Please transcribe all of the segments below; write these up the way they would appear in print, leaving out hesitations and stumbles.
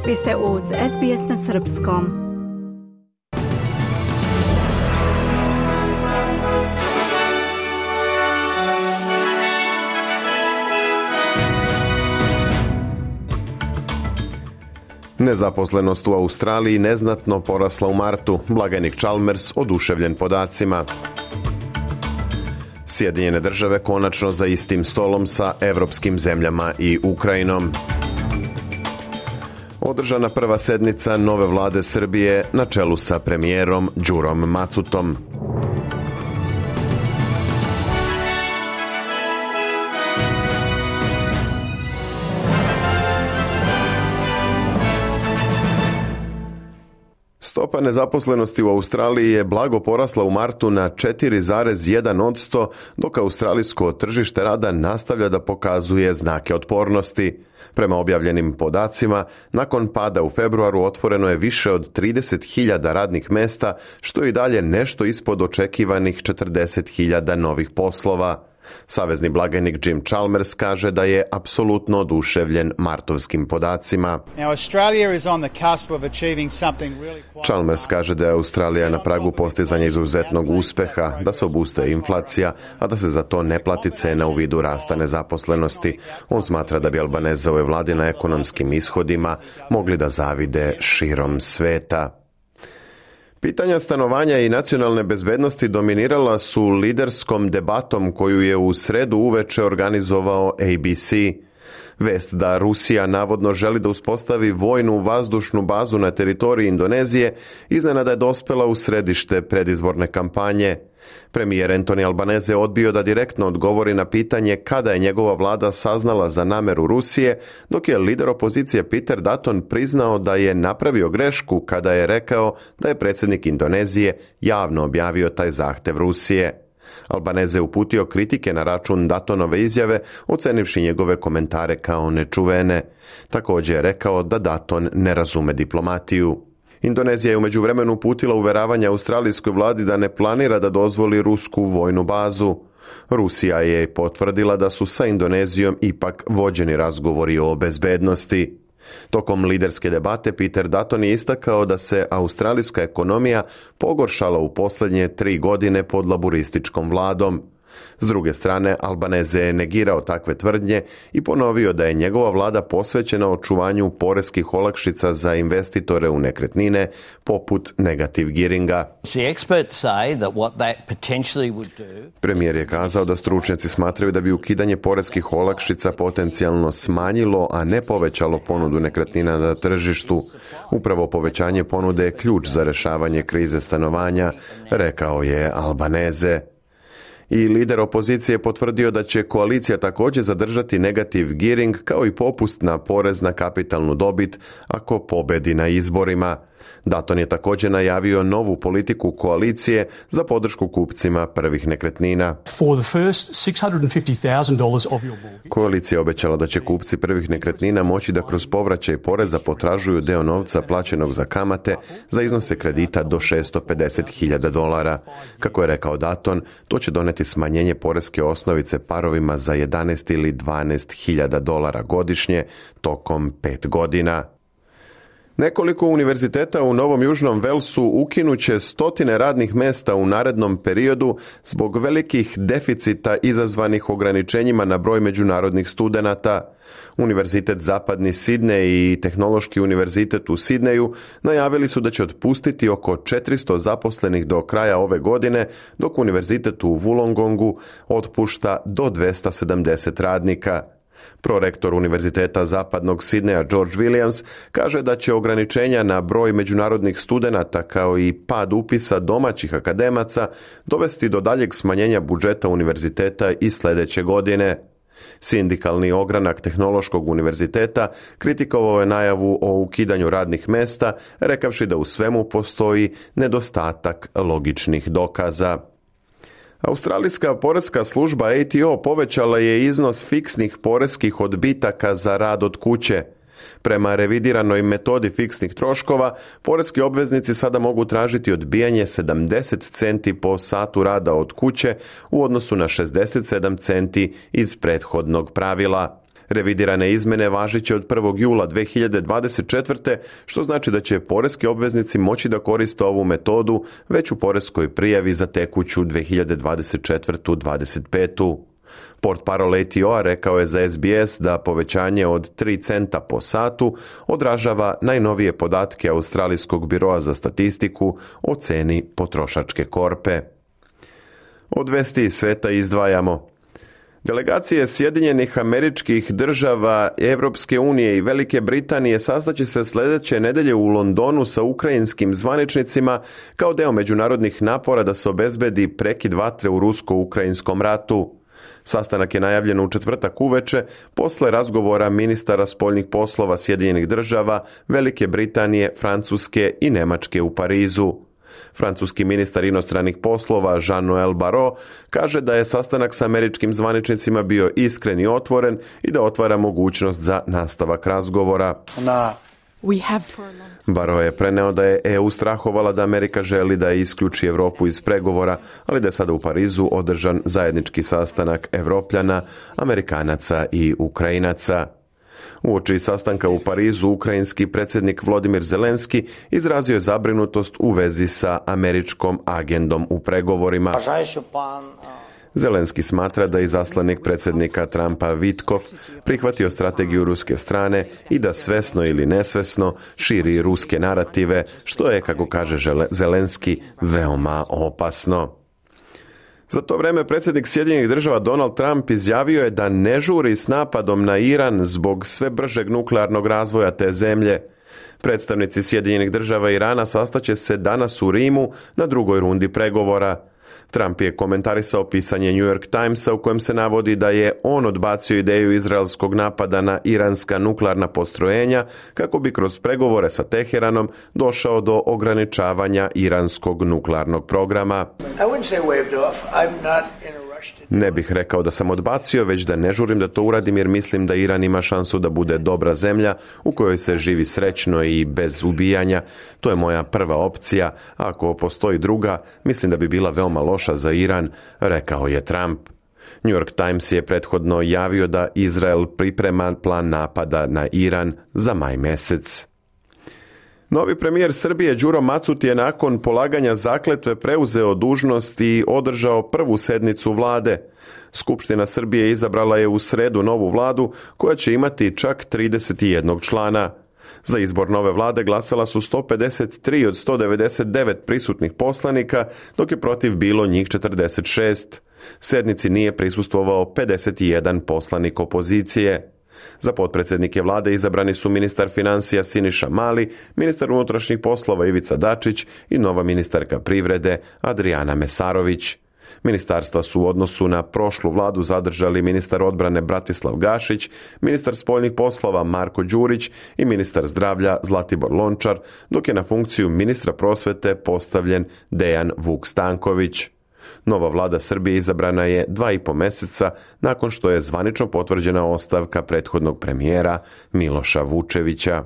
Vi ste uz SBS na srpskom. Nezaposlenost u Australiji neznatno porasla u martu, blagajnik Chalmers oduševljen podacima. Sjedinjene države konačno za istim stolom sa evropskim zemljama i Ukrajinom. Održana prva sednica nove vlade Srbije na čelu sa premijerom Đurom Macutom. Stopa nezaposlenosti u Australiji je blago porasla u martu na 4,1%, dok australijsko tržište rada nastavlja da pokazuje znake otpornosti. Prema objavljenim podacima, nakon pada u februaru otvoreno je više od 30.000 radnih mesta, što je i dalje nešto ispod očekivanih 40.000 novih poslova. Savezni blagajnik Jim Chalmers kaže da je apsolutno oduševljen martovskim podacima. Chalmers kaže da je Australija na pragu postizanja izuzetnog uspeha, da se obustaje inflacija, a da se za to ne plati cena u vidu rasta nezaposlenosti. On smatra da bi Albanezove vlade na ekonomskim ishodima mogli da zavide širom sveta. Pitanja stanovanja i nacionalne bezbednosti dominirala su liderskom debatom koju je u sredu uveče organizovao ABC. Vest da Rusija navodno želi da uspostavi vojnu vazdušnu bazu na teritoriji Indonezije iznenada je dospela u središte predizborne kampanje. Premijer Anthony Albanese odbio da direktno odgovori na pitanje kada je njegova vlada saznala za nameru Rusije, dok je lider opozicije Peter Dutton priznao da je napravio grešku kada je rekao da je predsjednik Indonezije javno objavio taj zahtev Rusije. Albanese uputio kritike na račun Duttonove izjave, ocenivši njegove komentare kao nečuvene. Također je rekao da Dutton ne razume diplomatiju. Indonezija je u međuvremenu uputila uveravanja australijskoj vladi da ne planira da dozvoli rusku vojnu bazu. Rusija je potvrdila da su sa Indonezijom ipak vođeni razgovori o bezbednosti. Tokom liderske debate Peter Dutton je istakao da se australijska ekonomija pogoršala u posljednje 3 godine pod laburističkom vladom. S druge strane, Albanese je negirao takve tvrdnje i ponovio da je njegova vlada posvećena očuvanju poreskih olakšica za investitore u nekretnine, poput negative gearinga. Premijer je kazao da stručnjaci smatraju da bi ukidanje poreskih olakšica potencijalno smanjilo, a ne povećalo ponudu nekretnina na tržištu. Upravo povećanje ponude je ključ za rješavanje krize stanovanja, rekao je Albanese. I lider opozicije potvrdio da će koalicija također zadržati negative gearing kao i popust na porez na kapitalnu dobit ako pobedi na izborima. Dutton je također najavio novu politiku koalicije za podršku kupcima prvih nekretnina. Koalicija je obećala da će kupci prvih nekretnina moći da kroz povraćaj poreza potražuju deo novca plaćenog za kamate za iznose kredita do $650,000. Kako je rekao Dutton, to će doneti smanjenje poreske osnovice parovima za $11 ili $12,000 godišnje tokom 5 godina. Nekoliko univerziteta u Novom Južnom Velsu ukinuće stotine radnih mesta u narednom periodu zbog velikih deficita izazvanih ograničenjima na broj međunarodnih studenata. Univerzitet Zapadni Sidnej i Tehnološki univerzitet u Sidneju najavili su da će otpustiti oko 400 zaposlenih do kraja ove godine, dok univerzitet u Wollongongu otpušta do 270 radnika. Prorektor Univerziteta Zapadnog Sidneja George Williams kaže da će ograničenja na broj međunarodnih studenata kao i pad upisa domaćih akademaca dovesti do daljeg smanjenja budžeta univerziteta i sljedeće godine. Sindikalni ogranak Tehnološkog univerziteta kritikovao je najavu o ukidanju radnih mesta, rekavši da u svemu postoji nedostatak logičnih dokaza. Australijska poreska služba ATO povećala je iznos fiksnih poreskih odbitaka za rad od kuće. Prema revidiranoj metodi fiksnih troškova, poreski obveznici sada mogu tražiti odbijanje 70 centi po satu rada od kuće u odnosu na 67 centi iz prethodnog pravila. Revidirane izmene važit će od 1. jula 2024. što znači da će poreski obveznici moći da koriste ovu metodu već u poreskoj prijavi za tekuću 2024-2025. Portparol ATO-a rekao je za SBS da povećanje od 3 centa po satu odražava najnovije podatke Australijskog biroa za statistiku o ceni potrošačke korpe. Od vesti iz sveta izdvajamo. Delegacije Sjedinjenih Američkih Država, Evropske unije i Velike Britanije sastaće se sljedeće nedelje u Londonu sa ukrajinskim zvaničnicima kao deo međunarodnih napora da se obezbedi prekid vatre u rusko-ukrajinskom ratu. Sastanak je najavljen u četvrtak uveče posle razgovora ministara spoljnih poslova Sjedinjenih Država, Velike Britanije, Francuske i Nemačke u Parizu. Francuski ministar inostranih poslova Jean-Noël Barrot kaže da je sastanak sa američkim zvaničnicima bio iskren i otvoren i da otvara mogućnost za nastavak razgovora. Barrot je preneo da je EU strahovala da Amerika želi da isključi Europu iz pregovora, ali da je sada u Parizu održan zajednički sastanak Evropljana, Amerikanaca i Ukrajinaca. Uoči sastanka u Parizu, ukrajinski predsjednik Volodymyr Zelenski izrazio je zabrinutost u vezi sa američkom agendom u pregovorima. Zelenski smatra da je izaslanik predsjednika Trumpa Vitkov prihvatio strategiju ruske strane i da svesno ili nesvesno širi ruske narative, što je, kako kaže Zelenski, veoma opasno. Za to vreme predsjednik Sjedinjenih Država Donald Trump izjavio je da ne žuri s napadom na Iran zbog sve bržeg nuklearnog razvoja te zemlje. Predstavnici Sjedinjenih Država i Irana sastaće se danas u Rimu na drugoj rundi pregovora. Trump je komentarisao pisanje New York Timesa u kojem se navodi da je on odbacio ideju izraelskog napada na iranska nuklearna postrojenja kako bi kroz pregovore sa Teheranom došao do ograničavanja iranskog nuklearnog programa. Ne bih rekao da sam odbacio, već da ne žurim da to uradim jer mislim da Iran ima šansu da bude dobra zemlja u kojoj se živi srećno i bez ubijanja. To je moja prva opcija, a ako postoji druga, mislim da bi bila veoma loša za Iran, rekao je Trump. New York Times je prethodno javio da Izrael priprema plan napada na Iran za maj mesec. Novi premijer Srbije Đuro Macut je nakon polaganja zakletve preuzeo dužnost i održao prvu sednicu vlade. Skupština Srbije izabrala je u sredu novu vladu koja će imati čak 31 člana. Za izbor nove vlade glasala su 153 od 199 prisutnih poslanika, dok je protiv bilo njih 46. Sednici nije prisustvovao 51 poslanik opozicije. Za potpredsjednike vlade izabrani su ministar financija Siniša Mali, ministar unutrašnjih poslova Ivica Dačić i nova ministarka privrede Adrijana Mesarović. Ministarstva su u odnosu na prošlu vladu zadržali ministar odbrane Bratislav Gašić, ministar spoljnih poslova Marko Đurić i ministar zdravlja Zlatibor Lončar, dok je na funkciju ministra prosvete postavljen Dejan Vuk Stanković. Nova vlada Srbije izabrana je 2,5 meseca nakon što je zvanično potvrđena ostavka prethodnog premijera Miloša Vučevića.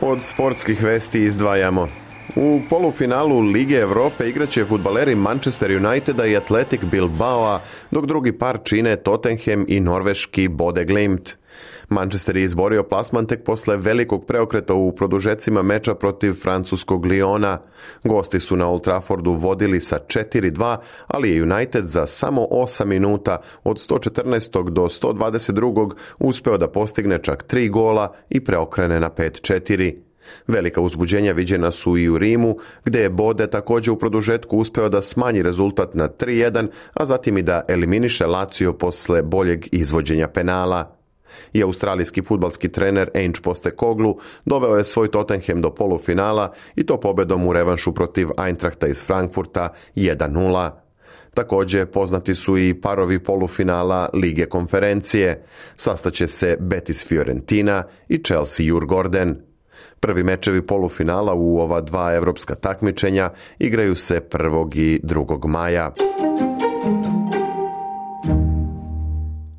Od sportskih vesti izdvajamo. U polufinalu Lige Evrope igraće fudbaleri Manchester Uniteda i Athletic Bilbao, dok drugi par čine Tottenham i norveški Bode Glimt. Manchester je izborio plasman tek posle velikog preokreta u produžecima meča protiv francuskog Lyona. Gosti su na Old Traffordu vodili sa 4-2, ali je United za samo 8 minuta od 114. do 122. uspeo da postigne čak 3 gola i preokrene na 5-4. Velika uzbuđenja viđena su i u Rimu, gde je Bode također u produžetku uspeo da smanji rezultat na 3-1, a zatim i da eliminiše Lazio posle boljeg izvođenja penala. I australijski fudbalski trener Ange Postecoglou doveo je svoj Tottenham do polufinala i to pobedom u revanšu protiv Eintrachta iz Frankfurta 1-0. Također poznati su i parovi polufinala Lige konferencije. Sastaće se Betis Fiorentina i Chelsea Djurgården. Prvi mečevi polufinala u ova dva evropska takmičenja igraju se 1. i 2. maja.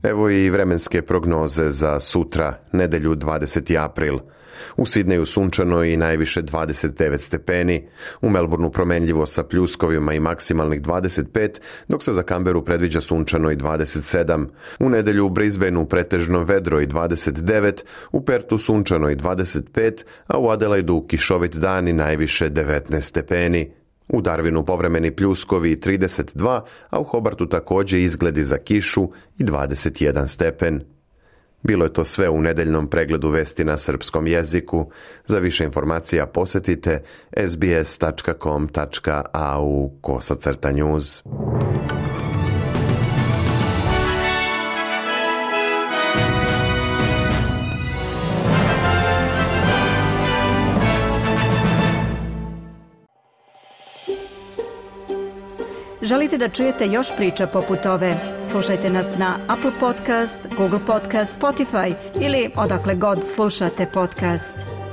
Evo i vremenske prognoze za sutra, nedelju 20. april. U Sidneju sunčano i najviše 29 stepeni, u Melbourneu promenljivo sa pljuskovima i maksimalnih 25, dok se za Canberru predviđa sunčano i 27. U nedelju u Brisbaneu pretežno vedro i 29, u Pertu sunčano i 25, a u Adelaidu kišovit dan i najviše 19 stepeni. U Darwinu povremeni pljuskovi 32, a u Hobartu također izgledi za kišu i 21 stepen. Bilo je to sve u nedeljnom pregledu vesti na srpskom jeziku. Za više informacija posjetite sbs.com.au/news. Želite da čujete još priča poput ove? Slušajte nas na Apple Podcast, Google Podcast, Spotify ili odakle god slušate podcast.